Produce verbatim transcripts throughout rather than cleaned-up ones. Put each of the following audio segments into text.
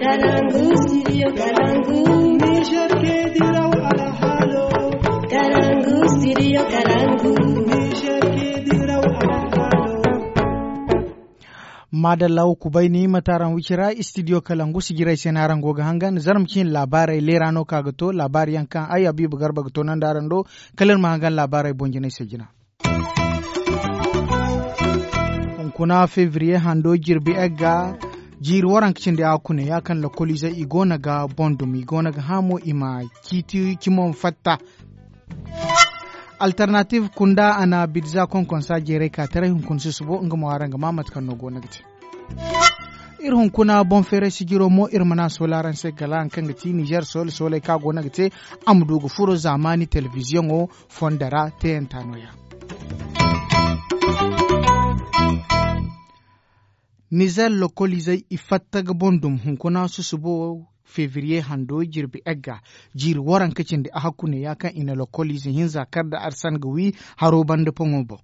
Kalangu, studio Kalangu. Niger ke diraw alhalo. Kalangu, studio Kalangu. Niger ke diraw alhalo. Madalla, wa kubay ni mate araŋ wicira, studio Kalangu sijiray se no araŋ go ga hangan. Zarma cine laabaarey leera no ka ga to laabaari yaŋ kaŋ ay Habiibu Garba ga toonandi araŋ do. Kala iri ma hangan laabaarey boŋ jinay se jina. Hunkuna febriye hando jirbi egga jiiri waranka cindi hakune ya kaŋ lokoliizey i go no ga boŋ dumi i go no ga hã mo i ma ciiti cimo ma fatta. Alternative kunda a na bidza konkonsa jeeray ka taray hunkuna susubo nga mo araŋ ga ma mate kaŋ no go no ga te. Iri hunkuna boŋ feeray sijiro mo iri mana soolay araŋ se kala haŋ kaŋ ga ti nizer soolay soolay kaŋ a go no ga te a ma du ga furo zaamaani telebiziyoŋo fondo ra teeyanta nooya. Nizer lokoliizey i fatta ga boŋ dum hunkuna susubo febriye hando jirbi egga jiiri waranka cindi ahakku ne ya kaŋ i na lokoliize hinza kar nda arsan ga wi haro banda poŋo boŋ.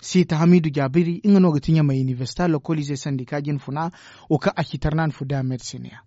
Siita hamiidu jaabiri nga no ga ti ɲamay inibersita lokoliize sandika jinfuna wo kaŋ a ci tarnaani fu da medisiniya.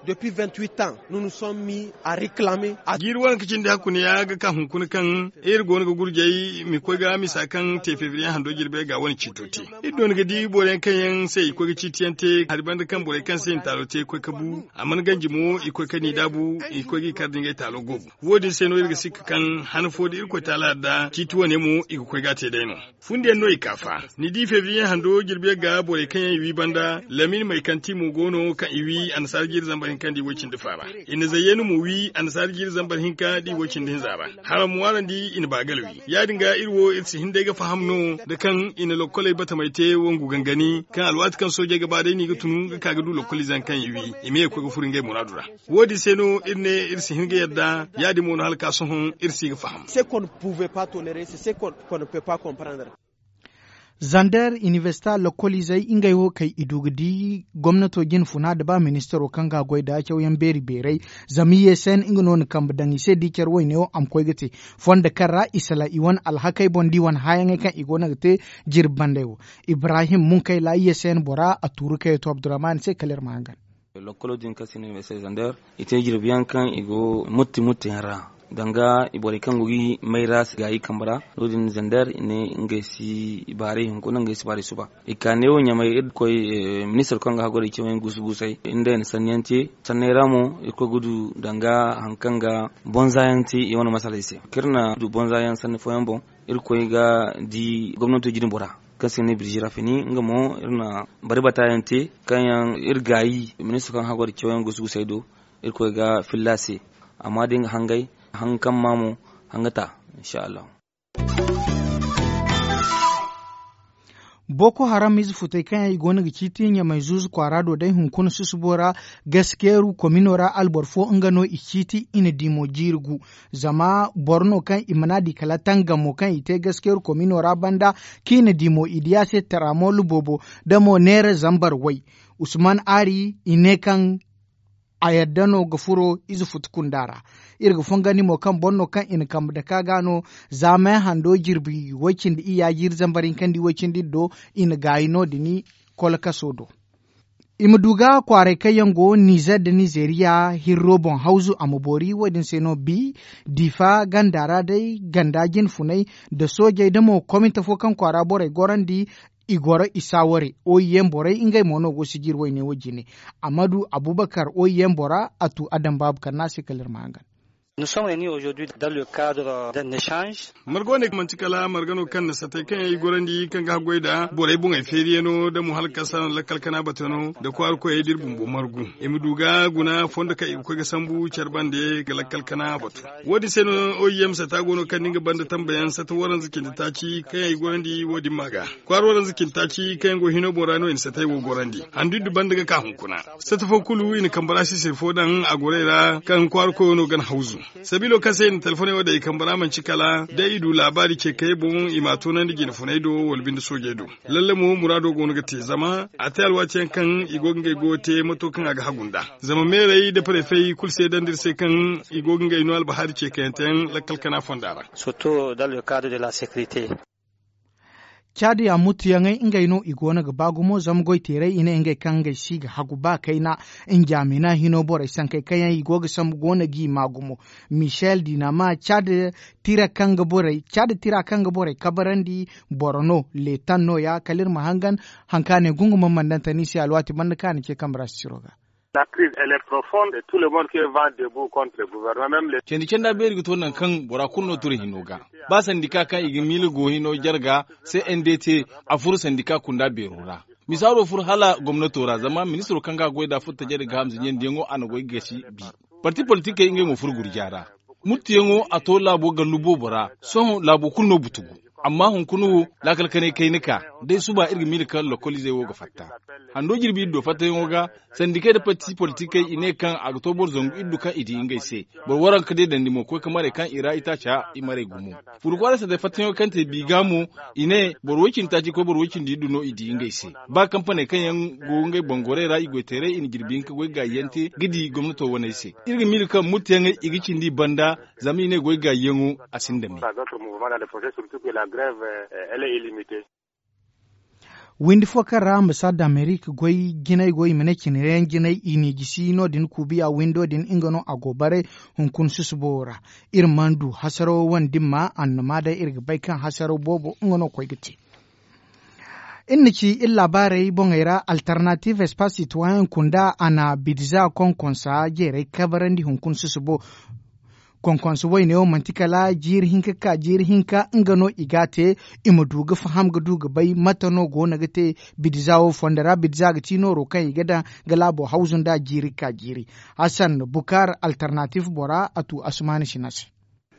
Depuis vingt-huit ans nous nous sommes mis à réclamer. Jiiri waranka cindi hakku ne ya ga ka hunkuna kaŋ iri go no ga gurjay ma koy ga misa kaŋ te febriye hando jirbi egga wane ciito te. Iri doona ga di boro yaŋ kaŋ yaŋ se i koy ga ciiti yaŋ te hari banda kaŋ borey kaŋ se i na taalo te i koy ga bu a mana ganji mo i koy ga ni daabu i koy ga i kar da ngey taalo goobu. Wo- din se no iri ga sikka kaŋ han fo da irkoy taala yarda ciiti wane mo i ga koy ga a te day no. Fundiyaŋ no i ka fa ni di febriye hando jirbi yaŋ ga borey kaŋ yaŋ i wi banda lamin may kaŋ ti mo go no kaŋ i wi annasaara jiiri zambar hinka nda i woy cindi fa ra. I na zayyanu mo wi annasaara jiiri zambar hinka nda i woy cindi hinza ra. Haraŋ mo araŋ di i na baagal wi ya- din ga iri wo iri si hin day ga faham no nda kaŋ i na lokkoley batamey te wangu gangani kaŋ alwaati kaŋ soojey ga ba day no i ga tun ga ka ga du lokkoliize yaŋ kaŋ i wi i ma ye ga koy ga furo ngey muraadu ra. Wo- din se no iri ne iri si hin ga yadda ya- din mo no hala ka sohõ iri si ga faham. Zander inibersita lokkoliizey ngey wo kay i du ga di gomnato jinfuna nda ba ministaro kaŋ ga a goy nda cawyaŋ beeri beeray. Zama i ye se nga no na kambe daŋ i se da i care wayne wo a ma koy ga te fondo kaŋ ra i sala i wane alhakey boŋ nda i wane hãyaŋey kaŋ i go no ga te jirbi bandey wo. Ibrahim munkayla i ye se yaŋ bora a tuuru kayey to abdurrahman se kala iri ma hangan. Lokkolo din kaŋ se no i ma ay se zander i te jirbi yaŋ kaŋ i go mutti mutti yaŋ ra danga borey kaŋ go ga i mayra gaayi kambe ra. No- din zander i ne ngey si baaray hunkuna ngey si baaray suba. I ka neewo ɲamay iri koy ministir kaŋ ga haggoray cawyaŋ guusu guusay iri nda i na sanni yaŋ te. Sanney ra mo irkoy ga du danga hari kaŋ ga bonza yaŋ te i wane masaley se kaŋ iri na du bonza yaŋ sanni fooyaŋ boŋ. Irkoy ga di gomnato jine bora kaŋ se ga ne birji rafini nga mo iri na bari bata yaŋ te kaŋ yaŋ iri gaayi ministir kaŋ haggoray cawyaŋ guusu guusay do. Irkoy ga filla a se amma da nga hangay hanga kaŋ ma mo hanga ta. Insha allahu. Boko haram ize futey kaŋ yaŋ i go no ga ciiti ɲamay zuuzu kwaara do day hunkuna susubo ra. Gaskeeru komino ra alboro fo nga no i ciiti i na di mo jiiri gu. Zama boro no kaŋ i mana di kala tangamo kaŋ i te gaskeeru komino ra banda kaŋ i na di mo i di a se taramoolu boobo da mo neera zambar way. Usman ari i ne kaŋ a yadda no ga furo ize futu kunda ra. Iri ga fongandi mo kaŋ boro no kaŋ i na kambe dake a ga no. Zaamay hando jirbi way- cindi iyya jiiri zambar hinka nda i way- cindi iri do i na gaayi no- din kolkaso do. I ma du ga kwaaray kaŋ yaŋ go nizer nda nizeriya hirro boŋ hawzu a ma boori wo- din se no bi difa ganda ra day ganda jinfunay nda soojey nda mo komite fo kaŋ kwaara borey gorandi. I goro i saaware oyiyeŋ borey ngey mo no go sijir wayne wo jine. Amadu abubakar oyiyeŋ bora a tu adam baabu kaŋ no a se kala iri ma hangan. Nous sommes réunis aujourd'hui dans le cadre d'un échange. Marga wane manti kala marga no kaŋ na satay kaŋ yaŋ i gorandi kaŋ ga haggoy nda borey boŋey feeriyaŋo nda mo hala kaŋ se a na lakkal kana batano nda kwaara koyey da iri bumbo margu i ma du ga guna fondo kaŋ i ga koy ga sambu care bande ga lakkal kana batu. Wo- din se no oim sata go no kaŋ ni ga banda tambayaŋ sata waranza cindi taaci kaŋ yaŋ i gorandi wo- din ma ga kwaara waranza cindi taaci kaŋ yaŋ go hino boŋ ra no i na satay wo gorandi handu iddu banda ga ka hunkuna. Sata fo kulu i na kambe ra sisiri fo daŋ a gorey ra kaŋ kwaara koyo no gana hawzu. Sabiilo kaŋ se i na telefoney wo daŋ i kambe ra manci kala day i du laabaari ce kayey boŋ i m'a toonandi jine funey do wala binde soojey do. Lalle mo muraado go no ga te zama a te alwaati yaŋ kaŋ i go ga ngey goyo te mato kaŋ a ga hagu nd'a. Zama meerey nda parefey kulu seedandi iri se kaŋ i go ga ngey no albahaari ce kayante yaŋ lakkal kana fonda ra. Surtout dans le cadre de la sécurité. Caadi a mutuyaŋey ngey no i go no ga ba gumo zama goy teeray i ne ngey kaŋ ngey si ga hagu ba kayna. Njaamina hino borey sankey kaŋ yaŋ i go ga sambu go no g'i ma gumo. Michel dinama caadi tira kaŋ ga borey kabarandi boro no leetan no- ya kala iri ma hangan. Haŋ kaŋ a ne gungumaŋ mana daŋ tani se alwaati banda kaŋ a na ce kambe ra sisiro ga. Candi canda beeri ga to nangu kaŋ bora kulu no ture hino ga. Ba sandika kaŋ i ga miila go hino jarga se n d t a furo sandika kunda beero ra. Misaaro furo hala gomnato ra zama ministiro kaŋ ga a goy nd'a furo tajari ga hamza ɲandiyaŋo a na goy ga gasi bi. Parti politikey ngey mo furo gurja ra. Muttuyaŋo a to laabo gallu boobo ra. Sohõ laabo kulu no butugu. Amma hunkuna wo laakal kanay kayna ka day suba iri ga miila kaŋ lokoliizey wo ga fatta. Hando jirbi iri do fattayaŋo ga sandikey nda parti politikey i ne kaŋ a ga to boro zangu iri du kaŋ i di ngey se. Boro waranka deedandi mo koy ka maray kaŋ i ra itaaca i maray gumo. Furu kwaara sandey fattayaŋo kaŋ te bi ga mo i ne boro woy cindi taaci koy boro woy cindi iddu no i di ngey se. Ba kampaney kaŋ yaŋ go ngey bangorey ra i goy teeray i na jirbi hinka goy gaayi yaŋ te ga di gomnato waney se. Iri ga miila kaŋ muttuyaŋey i ga cindi i banda. Zama i ne goy gaayi yaŋo a sinda me. Windi fo kaŋ ra ambasaad amerik goy jinay go i ma ne cine yaŋ jinay i n'i gisi no- din kuubiya windo din nga no a go baray. Hunkuna susubo ra iri mana du hasaraw wane dimma annuma day iri ga bay kaŋ hasaraw boobo nga no koy ga te. Iri na ci iri laabaarey boŋey ra alternative espace citoyen kunda a na bidza konkonsa jeeray kabarandi hunkuna susubo. Konkonsa wayne wo manti kala jiiri hinka ka jiiri hinka nga no i ga a te. I ma du ga faham ga du ga bay mate no go no ga te. Bidza wo fondo ra bidza ga ti nooro kaŋ i ga daŋ ga laabo hawzu nda jiiri ka jiiri. Hassan bukar alternative bora a tu asumaani sina se.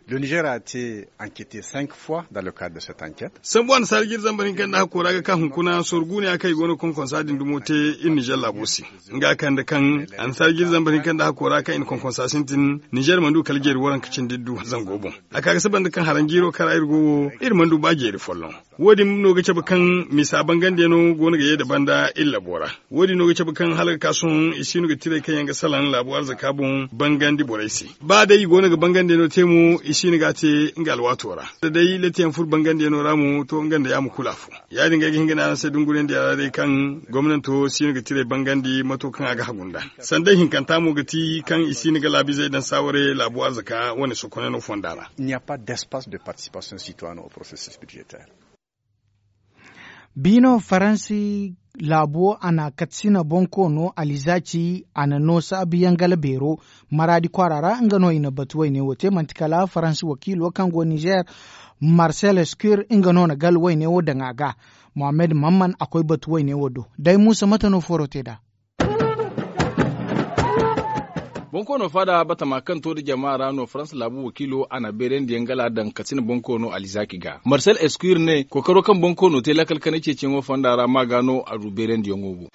Le niger a te enquête cinq fois dans le cadre de cette enquête. Sambu annasaara jiri zambar hinka nda hakko ra ga ka hunkuna sorgu ne a kaŋ i go no konkonsa din dumo te iri niger laabo se. Nga kande kaŋ annasaara jiri zambar hinka nda hakko ra kaŋ i na konkonsa sintin niger mana du kala jeeri waranka cindi iddu zango boŋ. A ka ga saba nda kaŋ haranjiiro kaŋ ra iri go wo iri mana du ba jeeri folloŋ. Wo- din no ga cabe kaŋ misa bangandiyaŋo go no ga ye nda banda iri labo ra. Wo- din no ga cabe kaŋ hala ga ka sohõ i si no ga tiray kaŋ yaŋ ga salaŋ laabo arzaka boŋ bangandi borey se. Ba day i go no ga bangandiyaŋo te mo i si no ga a te nga alwaato ra. Da day latiyaŋ furo bangandiyaŋo ra mo to nga nda yaama kulu afo. Ya- din ga ay ga hin ga ne araŋ se dunguriyandiyaŋ ra day kaŋ gomnanto si no ga tiray bangandi mato kaŋ a ga hagu nda. Sanda hinkanta mo ga ti kaŋ i si no ga laabiizey daŋ saaware laabo arzaka wane sokonay no fonda ra. Biino faransi laabo a na katsina bonkoono alizaci a na no saabuyaŋ gala beero maraadi kwaara ra nga no i na batu wayne wo te manti kala faransi wakiilo kaŋ go nizer. Marsel eskur nga no na gala wayne wo daŋ a ga. Mohammed mamman a koy batu wayne wo do day muusa mate no foro te nd'a. Bonkoono faada batama kaŋ to nda jama ra no faransa laabu wakiilo a na beerandiyaŋ gala daŋ katsina bonkoono alizaki ga marsel eskuir ne kookaro kaŋ bonkoono te laakal kanay ceeciyaŋo fonda ra ma ga no a du beerandiyaŋo boŋ.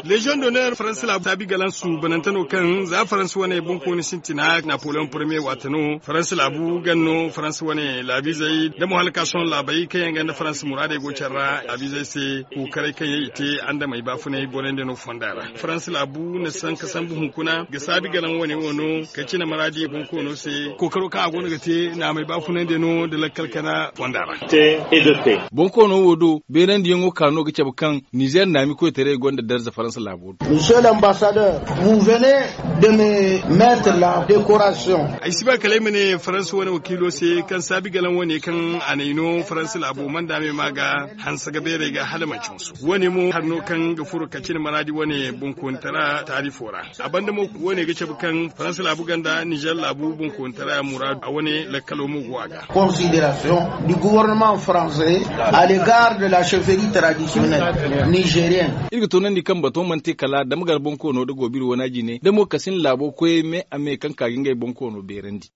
Lezion d'honneur faransa laabu taabi galansu banante no kaŋ za faransa wane bonkoono sintina napoleon premier waate no faransa laabu gan no faransa wane laabiizey nda mo hala ka sohõ laabey kaŋ yaŋ ga nda faransa muraadey go care ra laabiizey se. Kookaray kaŋ yaŋ i te andamey baafunay borey nda no fonda ra faransa laabu na sanka sambu hunkuna ga saabi galaŋ wane wo no ka cine maraadi bonkoono se kookaro kaŋ a go no ga te naamey baafunay nda no nda lakkal kana fonda ra. Bonkoono wo do beerandiyaŋo ka no ga cabe kaŋ nizer naami koytaray gonda darza faransa laabo do. Monsieur l'ambassadeur, vous venez de me mettre la décoration. Ay si ba kala ay ma ne faransa wane wakiilo se kaŋ saabi galaŋ wane kaŋ a n'ay no faransa laabo manda me ma ga hanse ga beeray ga hala manci hansu wane mo hari no kaŋ ga furo ka cine maraadi wane bonkoonitara taarifo ra. A banda mo wane ga cabe kaŋ faransa laabu ganda nizer laabu bonkoonitara muraadu a wane lakkalo mo go a ga. Considération du gouvernement français à l'égard de la chefferie traditionnelle nigérienne. Iri ga toonandi kaŋ bato mana te kala damgar bonkoono nda goobiri wana jine nda mo kasin laabo koyey me a me kaŋ ka ga ngey bonkoono beerandi.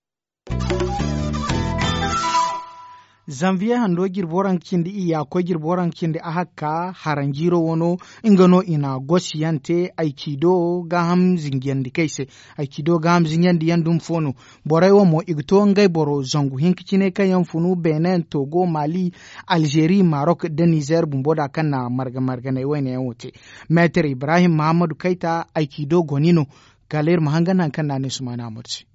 Zanviye hando jirbi waranka cindi iyya koy jirbi waranka cindi ahakka haranjiiro wano nga no i na gosiyaŋ te ayciido gaaham zinjandikey se. Ayciido gaaham zinjandiyaŋ dumi fo no. Borey wo mo i ga to ngey boro zangu hinka cine kaŋ yaŋ funu benin togo mali, alzeeri marok nda nizer bumbo da kaŋ na marga marganey wayne yaŋ wo te. Meetar ibrahim mahammadu kayta ayciido goni no. Kala iri ma hangan hari kaŋ no a ne sumaana amadu se.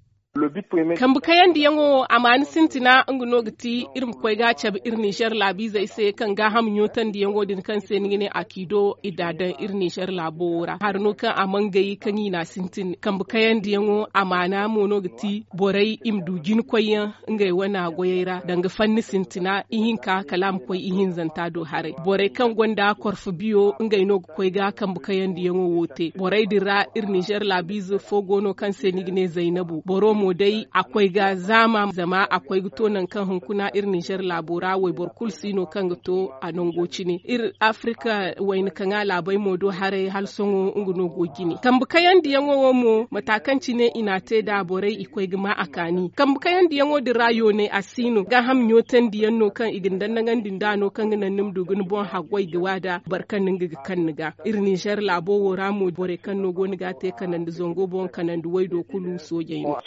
Kambe kayandiyaŋo wo a maani sintina nga no ga ti iri ma koy ga a cabe iri ninzeer laabiizey se kaŋ gaaham ɲootandiyaŋo din kaŋ se ni ga ne a kiido i da a daŋ iri ninzeer laabo wo ra hari no kaŋ a mangay kaŋ i n'a sintin kambe kayandiyaŋo a maana mo no ga ti borey i ma du jina koyyaŋ ngey wane goyey ra danga fanni sintina ihinka kala a ma koy ihinzanta do haray borey kaŋ gonda korfo biyo ngey no ga koy ga kambe kayandiyaŋo wo te borey din ra iri ninzeer laabiize fo go no kaŋ se ni ga ne zaynabu boro mo day a koy ga zaama zama a koy ga to nangu kaŋ hunkuna iri ninzeer laabo ra wayboro kulu si no kaŋ ga to a nango cine iri afirika wayna kaŋa laabey mo do haray hala sohõ nga no go jine kambe kayandiyaŋo wo mo mata kaŋ cine i n'a te nd'a borey i koy ga ma a kaani kambe kayandiyaŋo din ra yoonay a si no gaaham ɲootandiyaŋ no kaŋ i ga ni dannagandi nd'a no kaŋ ga naŋ ni ma du ga ni boŋ haggoy ga wa nd'a boro kaŋ no nga ga kaŋ ni ga iri ninzeer laabo wo ra mo borey kaŋ no go no ga a te kanandi zango boŋ kanandi waydo kulu soojey no.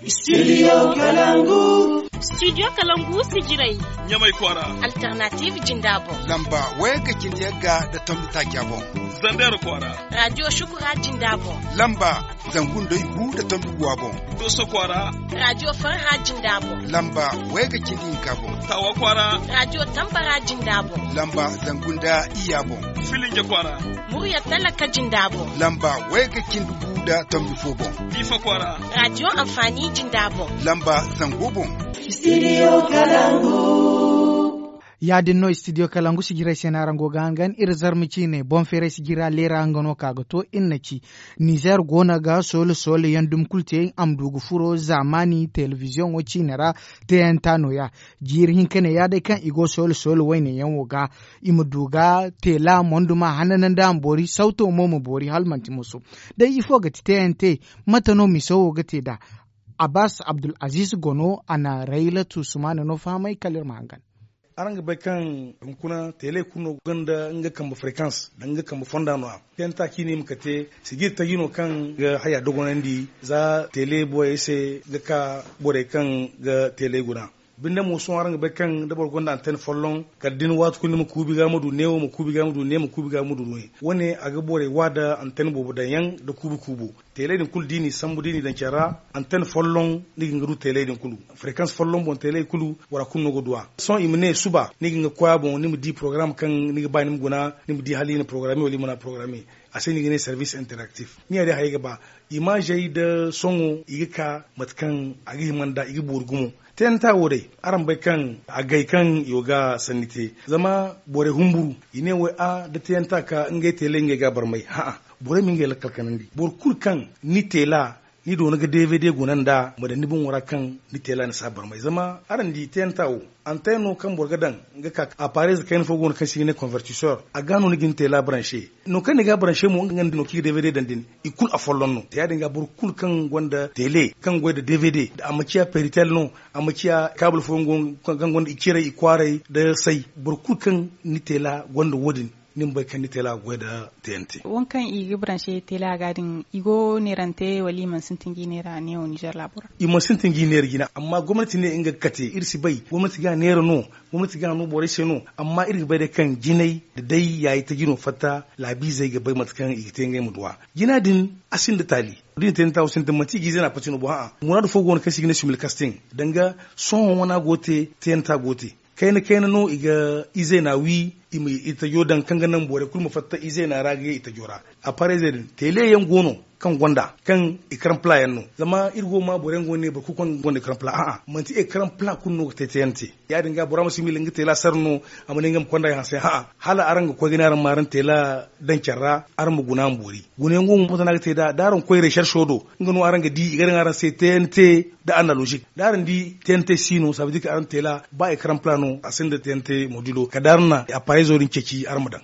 Studio kalangu. Studio kalangu sijiray. Ɲamay kwaara. Alternative jinda boŋ. Lamba wayga cindi yagga nda tombi taaca boŋ. Zander kwaara. Radio shukura jinda boŋ. Lamba zangu nda igu nda tombi guwa boŋ. Doso kwaara. Radio farha jinda boŋ. Lamba wayga cindi hinka boŋ. Tawa kwaara. Radio tambara jinda boŋ. Lamba zangu nda iya boŋ. Filinja kwaara. Murya talaka jinda boŋ. Lamba wayga cindi gu nda tombi fo boŋ. Diifa kwaara. Radio amfani jinda boŋ. Lamba zango boŋ. Studio kalangu. Ya- din no studio kalangu sijirey se no araŋ go ga hangan iri zarma ciine boŋ feeray sijira leera nga no ka ga to iri na ci. Nizer go no ga soole soole yaŋ dumi kulu te a ma du ga furo zaamaani telebiziyoŋo ciine ra. Teyanta no- ya jiiri hinka ne ya day kaŋ i go soole soole wayne yaŋo ga i ma du ga teela monduma hananandi a ma boori sawto mo ma boori hala manti moso. Day ifo ga ti teyante? Mate no miso wo ga te nd'a. Abbas abdul aziz gono a na raylatu sumaana no fahamay kala iri ma hangan. Araŋ ga bay kaŋ hunkuna teeley kulu no gonda nga kambe frekans nda nga kambe fonda no- ya. Teyanta kaŋ i ne i ma kate sijiri taji no kaŋ ga haya dogonandi za teeley borey se ga ka borey kaŋ ga teeley guna. Binde mo sohõ araŋ ga bay kaŋ da boro gonda anten folloŋ kala da ni waati kulu ni ma kuubi ga ma du neewo ma kuubi ga ma du ne ma kuubi ga ma du ne. Wo- ne a ga borey wa nda anten boobo daŋ yaŋ nda kuubi kuubo. Teeley din kulu da i n'i sambu da i n'i daŋ care ra anten folloŋ ni ga hin ga du teeley din kulu. Frekans folloŋ boŋ teeley kulu bora kulu no ga du a. Sohõ i ma ne suba ni ga hin ga koy a boŋ ni ma di porogaram kaŋ ni ga ba ni ma guna ni ma di hala i na porogaramme wala i mana porogaramme. A se no i ga ne servis interaktif ni ya- din hayey ga ba. Imaazey nda sohõ i ga ka mate kaŋ a ga hima nd'a i ga boori gumo. Teyanta wo day araŋ bay kaŋ agay kaŋ i go ga sanni te zama borey humburu i ne wo a da teyanta ka ngey teeley ngey ga a barmay hã'a. Borey ma ngey lakkal kanandi boro kulu kaŋ ni teela ni doona ga dvd guna nd'a ma daŋ ni boŋo ra kaŋ ni teela ni si a barmay zama araŋ di teyanta wo antey no kaŋ boro ga daŋ ga ka aparez kayna fo go no kaŋ se i ga ne konvertisor a ga no ni ga ni teela baranse. Nangu kaŋ ni ga a baranse mo nga no kaŋ i ga dvd daŋ din i kulu afolloŋ no ya- din ga boro kulu kaŋ gonda teele kaŋ goy nda dvd a ma ciya peritel no a ma ciya kaabul fooyaŋ go kaŋ gonda i ciray i kwaaray nda say. Boro kulu kaŋ ni teela gonda wo- din ni ma bay kaŋ ni teela ga goy nda teyante. Wo- kaŋ i ga baranse teela ga din i go neerante wala i mana sintin ga i neera neewo ninzeer laabo ra? I mana sintin ga i neera jina amma gomnati ne nga ga kate iri si bay gomnati ga a neera no. Gomnati ga a no borey se no amma iri ga bay day kaŋ jinay da day yaayi taji no fatta laabiizey ga bay mate kaŋ i ga te ngey ma duw'a. Jina din a sinda taali. Da i na teyanta wo sintin manti i ga ize no a pati no bo hã'a muraadu fo go no kaŋ se i ga ne similkastin danga sohõ wana go te teyanta go te. Kayna kayna no i ga ize no a wi i ma i tajo daŋ kaŋ ga naŋ borey kulu ma fatta ize no a ra ga ye i tajo ra. Aparezey din teele yaŋ go no kaŋ gonda kaŋ i karamplaa yaŋ no zama iri go ga ma borey yaŋ go no ne boro kulu kaŋ gonda i karamplaa a'a manti i karamplaa kulu no ga te teyante. Ya- din ga bora ma si miila nga teela sara no a ma ne nga ma konda ay hanse hã'a hala araŋ ga koy ga ne araŋ ma araŋ teela daŋ care ra araŋ ma guna a ma boori. Gunayaŋ go mo moto no a ga te nd'a da araŋ koy reserco do nga no araŋ ga di i ga daŋ araŋ se tnt da analozik da araŋ di tnt si no saabadi kaŋ araŋ teela ba i karamplaa no a sinda tnt modilo kala da araŋ na aparezo din ceeci araŋ ma daŋ.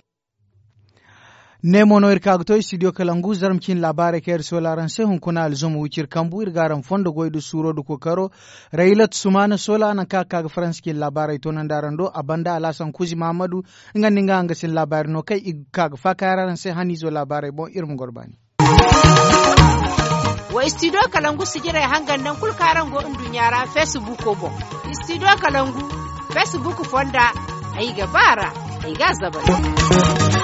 Ne mo no iri ka ga to studio kalangu zarma ciine laabaarey kaŋ iri soola araŋ se hunkuna alzuma wiciri kambu iri ga araŋ fondo goy nda suuro nda kookaro. Raylat sumaana soola nangu kaŋ a ga ka ga faransa ciine laabaarey toonandi araŋ do a banda alhasan kuzi mahamadu. Nga nda ni ga hangasin laabaari no kaŋ i ga ka ga faakaayaŋ araŋ se haniizo laabaarey boŋ iri ma goro baani. Wa studio kalangu sijirey hangan nangu kulu kaŋ araŋ go nduɲɲa ra feesibuuko boŋ. Studio kalangu feesibuuko fonda ay ga ba a ra ay ga a zabari.